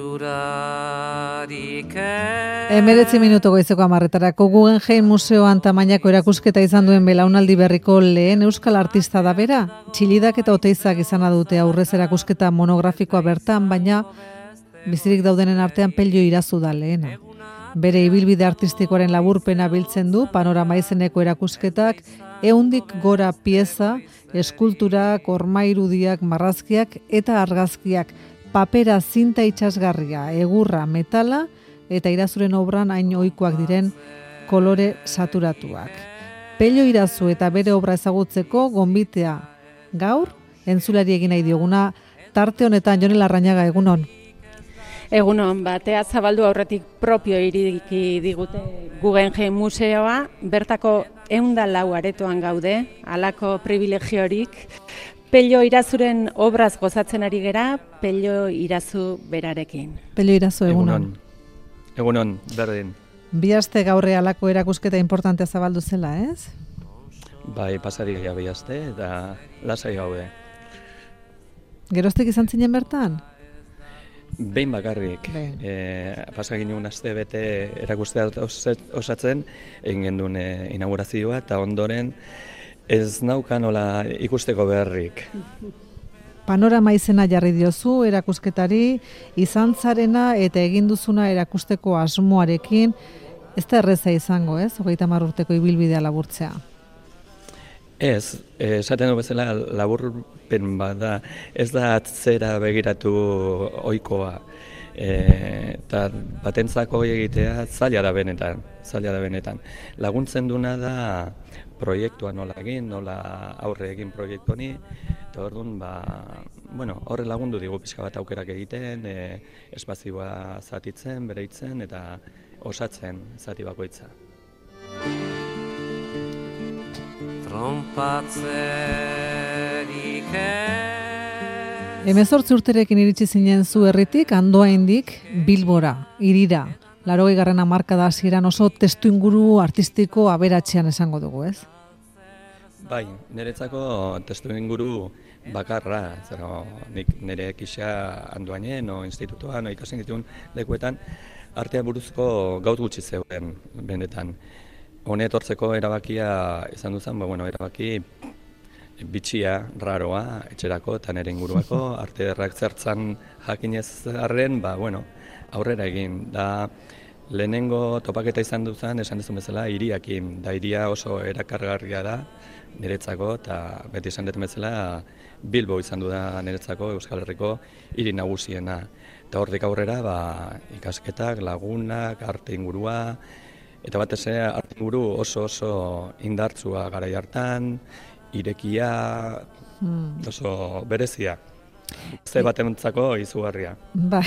19 minutu goizeko 10:00 Guggenheim Museoan tamainako erakusketa izan duen belaunaldi berriko lehen euskal artista da bera. Txilidak eta Oteizak izana dute aurrez erakusketa monografikoa bertan, baina bizirik daudenen artean Pello Irazu da lehena. Bere ibilbide artistikoaren laburpena biltzen du panorama izeneko erakusketak 100 gora pieza, eskulturak, ormairudiak, marrazkiak eta argazkiak, papera, zinta itsasgarria, egurra, metala eta Irazuren obran hain ohikoak diren kolore saturatuak. Pello Irazu eta bere obra ezagutzeko gonbitea gaur entzulari egin nahi dioguna tarte honetan. Jon Larrañaga, egunon. Egunon, batea zabaldu aurretik propio iriki digute Guggenheim Museoa, bertako 104 aretoan gaude, halako privilegiorik. Pello Irazuren obraz gozatzen ari gera, Pello Irazu berarekin. Pello Irazu, egunon. Egunon, berdin. Bi aste gaurre halako erakusketa importantea zabaldu zela, ez? Bai, pasari gehiago bi aste eta lasai gaude. Geroztik izan zinen bertan? Behin bakarrik. Pasagin egun aste bete erakustea osatzen, egin gendun inaugurazioa eta ondoren ez naukan hola ikusteko beharrik. Panorama izena jarri diozu erakusketari, izan zarena eta egin duzuna erakusteko asmoarekin, ez da erreza izango, ez? 30 urteko ibilbidea laburtzea. Ez, esaten du bezala laburpen bada, ez da atzera begiratu ohikoa. Eta batentzako egitea zaila da benetan. Laguntzen duna da proiektua nola egin, nola aurre egin proiektu honi, eta orduan, horre lagundu digu pixka bat aukerak egiten, espazioa zatitzen, bereitzen eta osatzen zati bakoitza. Hemezortzi urterekin iritsi zinen zu herritik, Andoaindik, Bilbora, hirira. 80. hamarkada hasieran oso testuinguru artistiko aberatsean esango dugu, ez? Bai, niretzako testuinguru bakarra, nik nire kisa Andoainen o institutoan o ikasen dituen lekuetan artea buruzko gaut gutxi zeuden benetan. Hone etortzeko erabakia izan duzan, erabaki bitxia, raroa, etxerako eta nire inguruako, arte derrak zertzan jakinez arren, aurrera egin. Da, lehenengo topaketa izan duzan, esan duzun bezala, hiriakin. Da, hiria oso erakargarria da niretzako, eta beti esan dut bezala, Bilbo izan du da niretzako Euskal Herriko hiri nagusiena. Eta hortik aurrera, ikasketak, lagunak, arte ingurua, eta batez ere arte inguru oso indartsua garai hartan, irekia, oso berezia. Ze batentzako izugarria. Bai,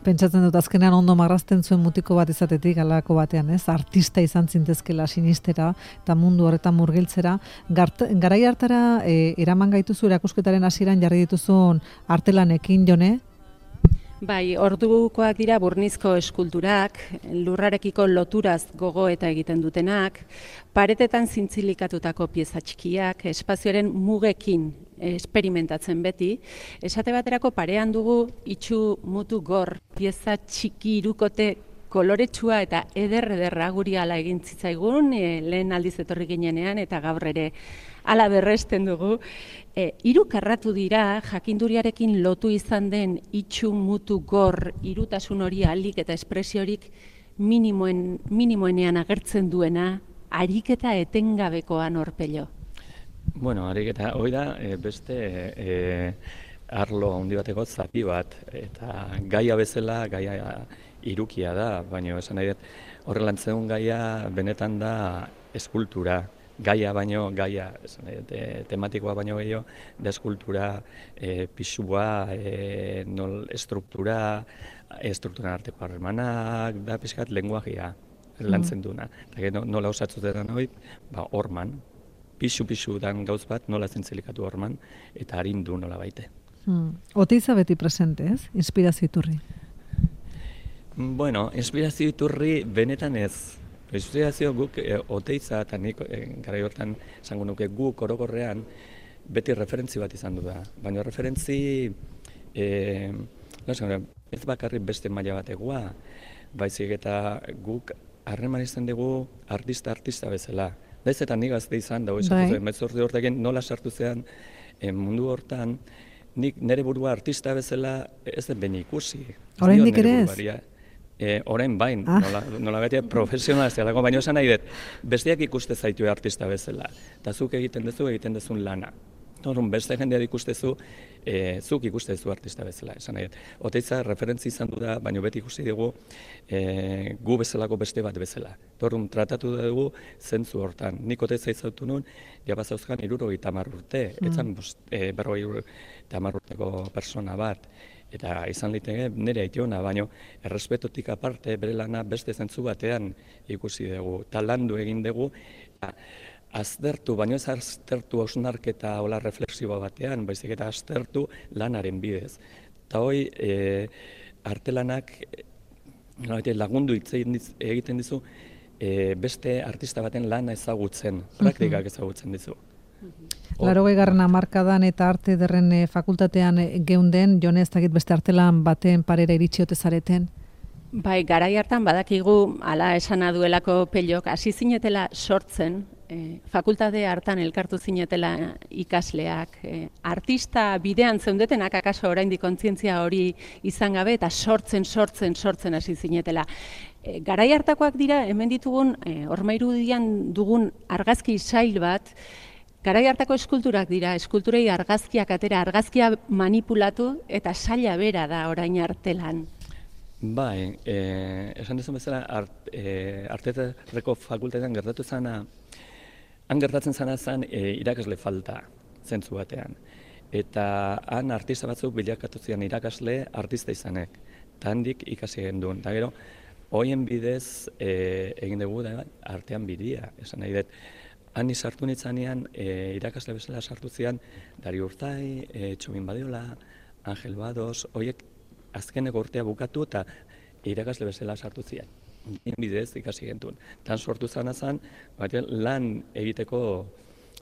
pentsatzen dut azkenean ondo marrazten zuen mutiko bat izatetik halako batean, ez? Artista izan zintezkela sinistera eta mundu horretan murgiltzera. Garai hartara eraman gaituzu erakusketaren hasieran jarri dituzun artelanekin, Jone? Bai, ordukoak dira burnizko eskulturak, lurrarekiko loturaz gogo eta egiten dutenak, paretetan zintzilikatutako pieza txikiak, espazioaren mugekin esperimentatzen beti. Esate baterako parean dugu itxu mutu gor, pieza txiki irukote koloretsua eta eder-ederra guri ala egin zitzaigun, lehen aldiz etorri ginenean eta gaur ere ala berresten dugu. Hiru karratu dira, jakinduriarekin lotu izan den itxu mutu gor, irutasun hori alik eta espresiorik minimoenean agertzen duena, ariketa etengabekoa Pello. Ariketa, hori da, beste arlo handi bateko zati bat, eta gaia bezala, gaia irukia da, baina esan nahi dut, horrelan zeun gaia benetan da eskultura. Gaia, tematikoa baino gehiago, da eskultura, pisua, strukturan arteko harremanak, da pixkat lenguajea lantzen duna. Eta nola osatzuten hori, horman, pisu dan gauz bat, nola zintzilikatu horman, eta harindu nola baite. Oteiza beti presente, ez? Inspirazio iturri. Inspirazio iturri benetan ez. Inspirazio guk Oteiza eta nik garai hortan esango nuke guk orokorrean beti referentzi bat izan du da. Baina referentzi Ez bakarrik beste maila bategoa, baizik eta guk harreman izan dugu artista bezala. Daiz eta nik gazte izan, dago izan zuen, 18 urtekin nola sartu zean mundu hortan, nik nire burua artista bezala ez den beni ikusi. Oraindik ere ez? Orain bain, nola beti profesionala ez delako, baina esan nahi dut, besteak ikuste zaitu artista bezala, eta zuk egiten duzun lana. Horren, beste jendeak ikustezu, zuk ikustezu artista bezala, esan nahi dut. Oteiza referentzi izan du da, baina beti ikusi dugu gu bezalako beste bat bezala. Horren, tratatu dugu zentzu hortan. Nik Oteiza izautu nuen, jabazauzkan 70 urte, etzan 50 urteko persona bat. Eta izan liteke nire aitona, baina errespetotik aparte bere lana beste zentzu batean ikusi dugu. Eta landu egin dugu, aztertu, baina ez aztertu hausnarketa hola reflexiboa batean, baizik eta aztertu lanaren bidez. Eta hoi, artelanak lagundu egiten dizu beste artista baten lana ezagutzen, praktikak ezagutzen dizu. 80. hamarkadan eta arte ederren fakultatean geunden, Jone, ez dakit beste artelan baten parera iritsi ote zareten? Bai, garai hartan badakigu, hala esana duelako Pelok, hasi zinetela sortzen, fakultate hartan elkartu zinetela ikasleak, artista bidean zeundetenak akaso oraindik kontzientzia hori izan gabe eta sortzen hasi zinetela. Garai hartakoak dira, hemen ditugun, Hormairudian dugun argazki sail bat, garai hartako eskulturak dira, eskulturei argazkiak atera, argazkia manipulatu eta saila bera da orain artelan. Bai, esan duzun bezala, Arteetako fakultatean gertatu zana, han gertatzen zana zen irakasle falta, zentzu batean. Eta han artista batzuk bilakatu zian irakasle artista izanek, eta handik ikasi genduen. Eta gero, hoien bidez egin dugu da artean bidia, esan nahi dut. Han sartu nitzanean, irakasle bezala sartu zian, Dario Urtai, Txomin Badiola, Angel Bados, horiek azkeneko urtea bukatu eta irakasle bezala sartu zian. Bidez ikasi gentuen. Tan sortu zana zen, lan egiteko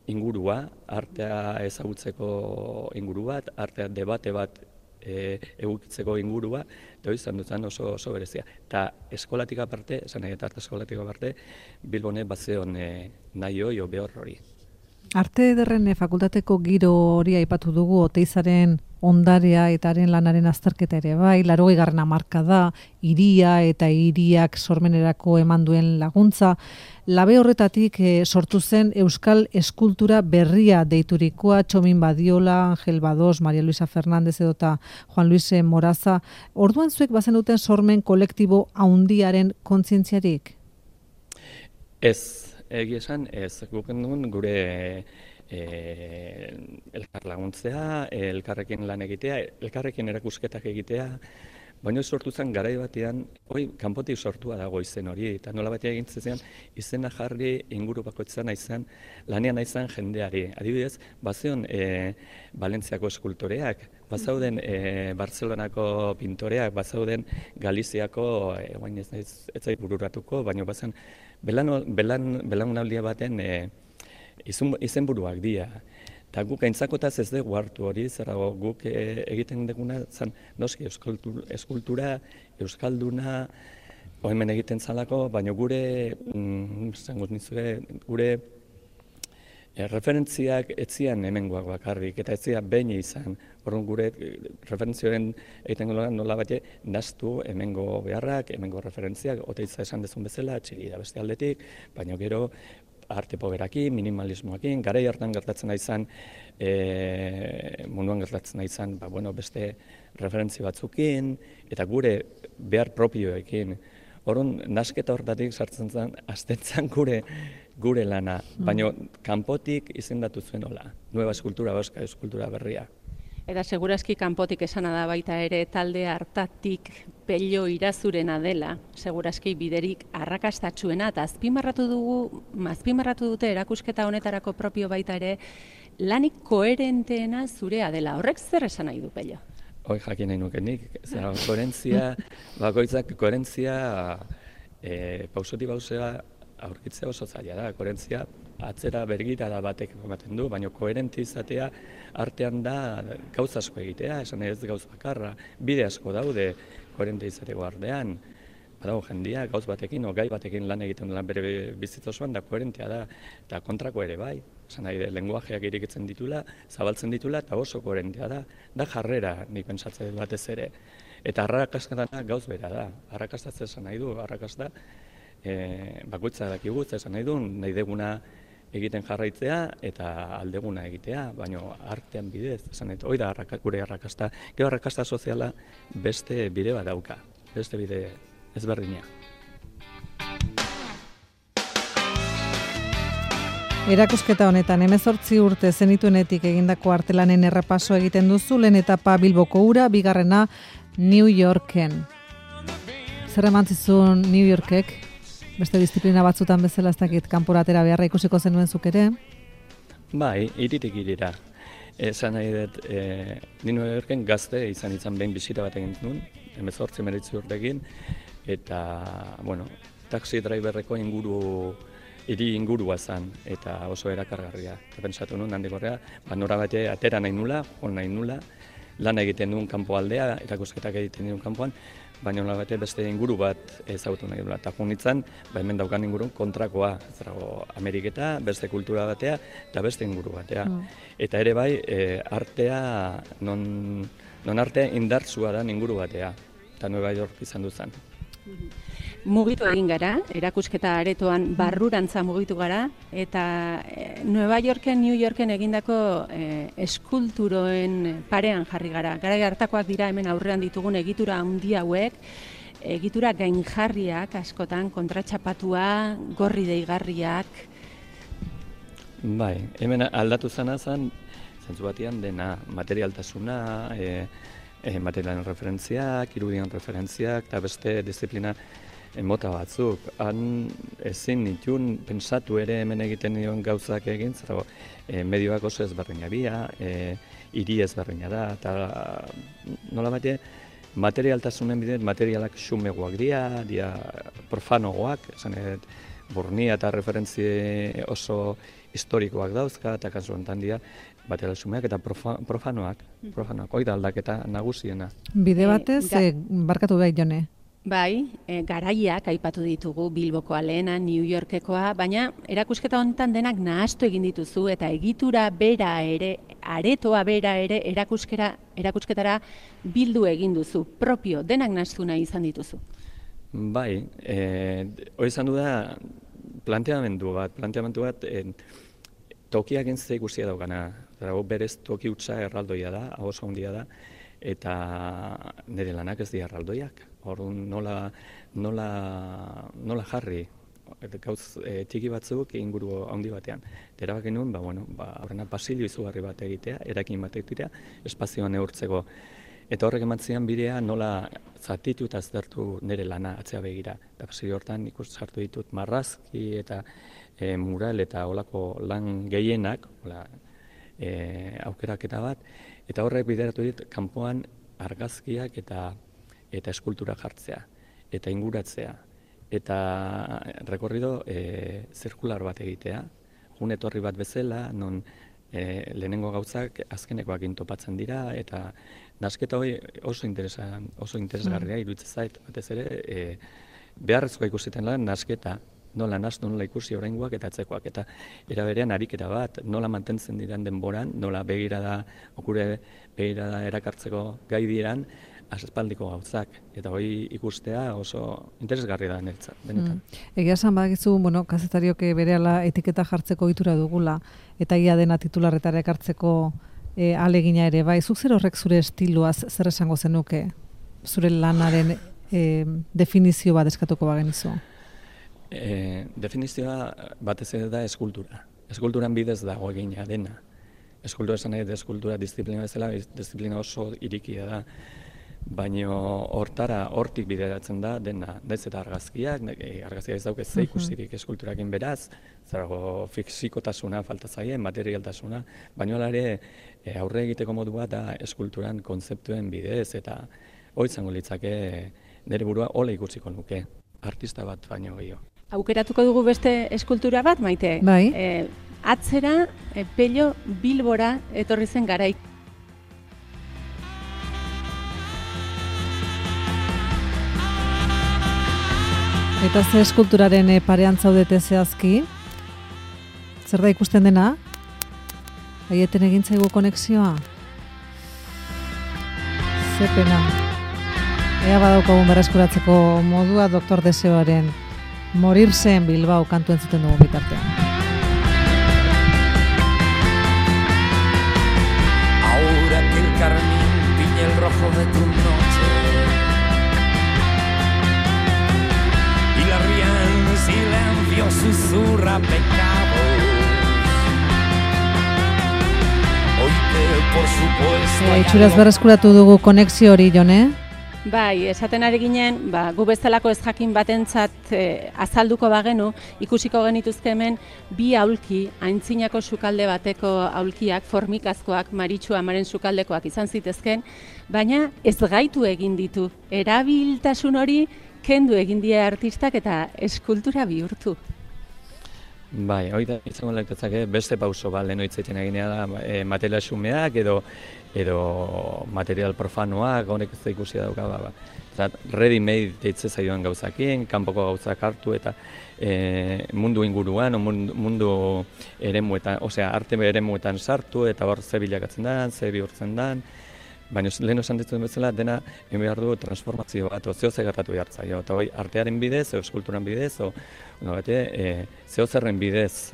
ingurua, artea ezagutzeko inguru bat, artea debate bat egukitzeko ingurua, eta hori izan dutzen oso berezia. Eta eskolatik aparte, esan nahi eta arte eskolatik aparte, Bilbone bazeon nahi hori o behor hori. Arte ederren fakultateko giro hori aipatu dugu, Oteizaren ondarea eta haren lanaren azterketa ere bai, 80. hamarkada, hiria eta hiriak sormenerako eman duen laguntza. Labe horretatik sortu zen Euskal Eskultura berria deiturikoa, Txomin Badiola, Angel Bados, Maria Luisa Fernández edota Juan Luis Moraza. Orduan zuek bazen duten sormen kolektibo haundiaren kontzientziarik? Ez, egia esan, ez guken duen gure elkar laguntzea, elkarrekin lan egitea, elkarrekin erakusketak egitea, baina sortu zen garai batean, kanpotik sortua dago izen hori, eta nola batean egintzen zen, izena jarri inguru bakoitzan izan, lanean izan jendeari. Adibidez, bazeon Valentziako eskultoreak, bazauden Barcelonako pintoreak, bazauden Galiziako, ez zait bururatuko, baina bazen belaunaldia baten izenburuak dira. Eta guk aintzakotaz ez dugu hartu hori, zerrago guk egiten duguna zen, noski eskultura, euskalduna, hemen egiten zalako, baina gure referentziak etzian hemengoak bakarrik, eta etzian behin izan. Horren gure referentzioen egiten nola bate, naztu hemengo beharrak, hemengo referentziak, Oteiza esan dezun bezala, Txillida beste aldetik, baina gero arte poberakin, minimalismoakin, garai hartan gertatzen izan, munduan gertatzen izan, beste referentzi batzukin, eta gure behar propioekin. Horren, nasketa horretatik sartzen zen, azten zen gure lana, baina kanpotik izendatu zuen hola, nueva eskultura, euskal eskultura berria. Eta segurazki kanpotik esana da baita ere talde hartatik Pello Irazurena dela, segurazki biderik arrakastatsuena, eta azpimarratu dute erakusketa honetarako propio baita ere, lanik koherenteena zurea dela. Horrek zer esan nahi du, Pello? Hoi jakin nahi nukenik, koherentzia, bakoitzak koherentzia pausoti pausea aurkitzea oso zaila da, koherentzia atzera bergirada batek ematen du, baina koherente izatea artean da gauza asko egitea, esan ez gauz bakarra, bide asko daude koherente izateko artean, badago jendia gauz batekin, gai batekin lan egiten dela bere bizitza osoan, da koherentea da, eta kontrako ere bai, esan nahi, lenguajeak irikitzen ditula, zabaltzen ditula, eta oso koherentea da jarrera, nik pentsatzen batez ere. Eta arrakastatana gauz bera da, arrakastatzen esan nahi du, arrakasta bakoitza dakigu, esan nahi du, nahi deguna egiten jarraitzea eta aldeguna egitea, baina artean bidez, esan nahi, hoi da gure arrakasta, gero arrakasta soziala beste bide bat dauka, beste bide ezberdina. Erakusketa honetan 18 urte zenituenetik egindako artelanen errepaso egiten duzu, lehen etapa Bilboko ura, bigarrena New Yorken. Zer emantzizun New Yorkek? Beste disiplina batzutan bezala ez dakit kanporatera beharra ikusiko zenuen zuk ere? Bai, iritik irira. Esan nahi dut, ni New Yorken gazte izan behin bisita bat egin nuen, 18 urtekin, eta, bueno, taxi driverreko hiri ingurua zen, eta oso erakargarria. Eta pentsatu nuen, handik horrea, nora bate atera nahi nula, nahi nula, lan egiten duen kanpoaldea, erakusketak egiten duen kanpoan, baina nola bate beste inguru bat ezagutu nahi dula. Eta junitzen, hemen daukan ingurun kontrakoa, Ameriketa, beste kultura batea, eta beste inguru batea. Eta ere bai, artea, non artea indartsua da inguru batea, eta Nueva York izan duzan. Mugitu egin gara, erakusketa aretoan barrurantza mugitu gara, eta Nueva Yorken, New Yorken egindako eskulturoen parean jarri gara. Garai hartakoak dira hemen aurrean ditugun egitura handi hauek, egitura gainjarriak askotan, kontratxapatua, gorri deigarriak. Bai, hemen aldatu zana zen, zentzu batean dena, materialtasuna, materialen referentziak, irudian referentziak, eta beste disiplina mota batzuk. Han ezin nituen pentsatu ere hemen egiten dion gauzak egin, zerago medioak oso ezberdina bia, hiri ezberdina da, eta nola bate materialtasunen bidez materialak xumegoak dira profanogoak, esan edo burnia eta referentzi oso historikoak dauzka, eta kasu honetan dira material xumeak eta profanoak, hoi da aldaketa nagusiena. Bide batez, barkatu behar jone. Bai, garaiak aipatu ditugu, Bilbokoa lehena, New Yorkekoa, baina erakusketa honetan denak nahastu egin dituzu eta egitura bera ere, aretoa bera ere erakusketara bildu egin duzu, propio, denak nahastu nahi izan dituzu. Bai, hori izan du da planteamendu bat tokiak entzia ikusia daukana, berez toki hutsa erraldoia da, oso handia da, eta nire lanak ez dira erraldoiak. Orduan nola jarri, gauz txiki batzuk inguru handi batean. Erabaki nuen, horrena pasillo izugarri bat egitea, erakin bat egitea, espazioan neurtzeko. Eta horrek ematzean bidea nola zatitu eta aztertu nire lana atzea begira. Eta pasillo hortan sartu ditut marrazki eta mural eta olako lan gehienak, aukeraketa bat, eta horrek bideratu dit kanpoan argazkiak eta eskultura jartzea, eta inguratzea, eta rekorrido zirkular bat egitea, etorri bat bezala, non lehenengo gauzak azkenekoak topatzen dira, eta nasketa hori oso interesgarria iruditzen zait, batez ere, beharrezkoa ikusiten lan nasketa, nola nastu, nola ikusi oraingoak eta atzekoak, eta era berean ariketa bat, nola mantentzen diran denboran, nola begirada erakartzeko gai diran, aspaldiko gauzak, eta hori ikustea oso interesgarri da benetan. Egia esan badakizu, kazetariok berehala etiketa jartzeko ohitura dugula, eta ia dena titularretara ekartzeko ahalegina ere, bai, zuk zer horrek zure estiloaz zer esango zenuke, zure lanaren definizio bat eskatuko bagenizu? Definizioa batez ere da eskultura. Eskulturan bidez dago egina dena. Eskultura esan nahi, eskultura disiplina bezala, disiplina oso irikia da. Baina hortik bideratzen da dena, daiz eta argazkiak ez dauke ze ikusirik eskulturakin beraz, zarago fisikotasuna falta zaien, materialtasuna, baina hala ere aurre egiteko modua da eskulturan kontzeptuen bidez, eta hori izango litzake nire burua hola ikusiko nuke. artista bat baino gehiago. Aukeratuko dugu beste eskultura bat, Maite? Bai. Atzera, Pello Bilbora etorri zen garaik. Eta ze eskulturaren parean zaudete zehazki? Zer da ikusten dena? Aieten egin zaigu konexioa? Ze pena. Ea badaukagun berreskuratzeko modua Doktor Deseoaren Morirse en Bilbao kantu entzuten dugu bitartean. Ahora que el carmín tiñe el rojo de tu noche y la ría en silencio susurra pecados. Oíte, por supuesto. Itxuraz berreskuratu dugu konexio hori, Jone? Bai, esaten ari ginen, gu bezalako ez jakin batentzat azalduko bagenu, ikusiko genituzke hemen bi aulki, aintzinako sukalde bateko aulkiak, formikazkoak, Maritxu amaren sukaldekoak izan zitezken, baina ez gaitu egin ditu. Erabiltasun hori kendu egin die artistak eta eskultura bihurtu. Bai, hori da izango lektatzake beste pauso bat lehen hitz egiten eginea da material xumeak edo material profanoak, honek ez da ikusia dauka. Ready made deitze zaioan gauzakin, kanpoko gauzak hartu eta mundu inguruan, mundu eremuetan, osea arte eremuetan sartu eta hor ze bilakatzen da, ze bihurtzen da. Baina lehen esan dituen bezala dena egin behar du transformazio bat, zehoze gertatu behar zaio. Eta hori artearen bidez, eskulturan bidez, zehozerren bidez,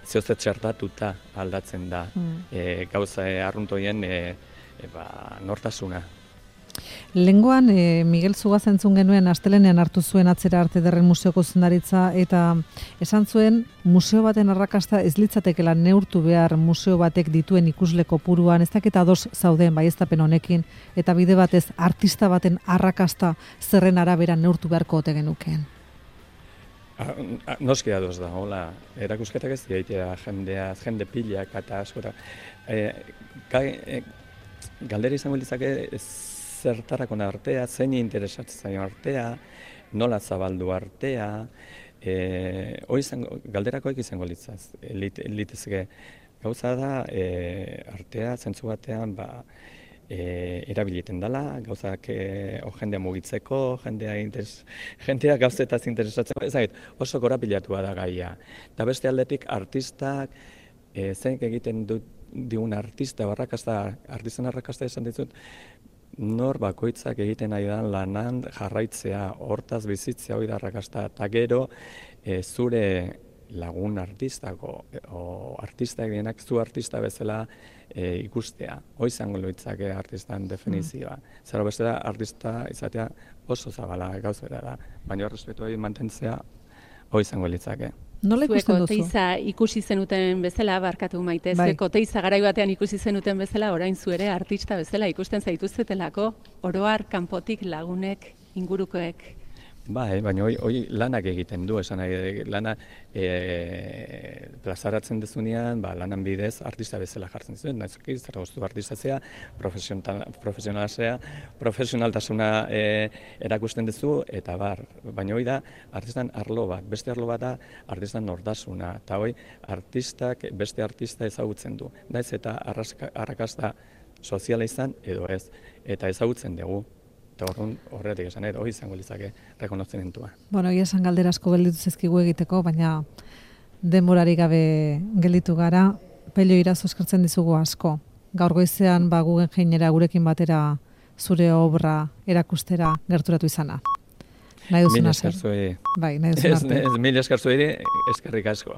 zehoze txertatuta aldatzen da gauza arruntoien nortasuna. Lengoan, Miguel Zugaz entzun genuen astelenean hartu zuen Atzera Arte Ederren Museoko zuzendaritza eta esan zuen museo baten arrakasta ez litzatekela neurtu behar museo batek dituen ikusle kopuruan, ez dakit ados zauden baieztapen honekin eta bide batez artista baten arrakasta zerren arabera neurtu beharko ote genukeen. Noski ados da, hola, erakusketak ez diaitea jende pilak eta askora. Galdera izango litzake zertarako artea, zein interesatzen zaio artea, nola zabaldu artea, galderakoek izango litzazke. Gauza da, artea zentzu batean erabiliten dela, gauzak jendea mugitzeko, jendea gauzetaz interesatzeko, ezagit, oso korapilatua da gaia. Eta beste aldetik artistak, zein egiten digun artista, artistan arrakasta esan ditut, nor bakoitzak egiten nahi da lanan jarraitzea, hortaz bizitzea hori da arrakasta, eta gero zure lagun artistako, o artistak dienak zu artista bezala ikustea. Hoi izango litzake artistan definizioa. Zara beste da, artista izatea oso zabala gauzera da, baina respetu hori mantentzea hoi izango litzake. Nola ikusten duzu? Zuek Oteiza ikusi zenuten bezala, barkatu Maite, zuek Oteiza garai batean ikusi zenuten bezala, orain zu ere artista bezala ikusten zaituztetelako, oroar kanpotik lagunek, ingurukoek. Bai, baina hori lanak egiten du, esan nahi, lana plazaratzen dezunean, lanan bidez artista bezala jartzen zuen, nahizuki, zer goztu artistazea, profesionaltasuna erakusten duzu, eta baina hori da artistan arlo bat, beste arlo bat da artistan nortasuna, eta hori artistak beste artista ezagutzen du, naiz eta arrakasta soziala izan edo ez, eta ezagutzen dugu. Horretik esan, hori izango litzake rekonozimentua. Bueno, egia esan galdera asko gelditu zezkigu egiteko, baina denborari gabe gelditu gara, Pello Irazo eskertzen dizugu asko. Gaur goizean Guggenheimera gurekin batera zure obra erakustera gerturatu izana. Nahi duzuna zer? Mila esker zuei. Bai, nahi duzuna arte. Mila esker zuei, eskerrik asko.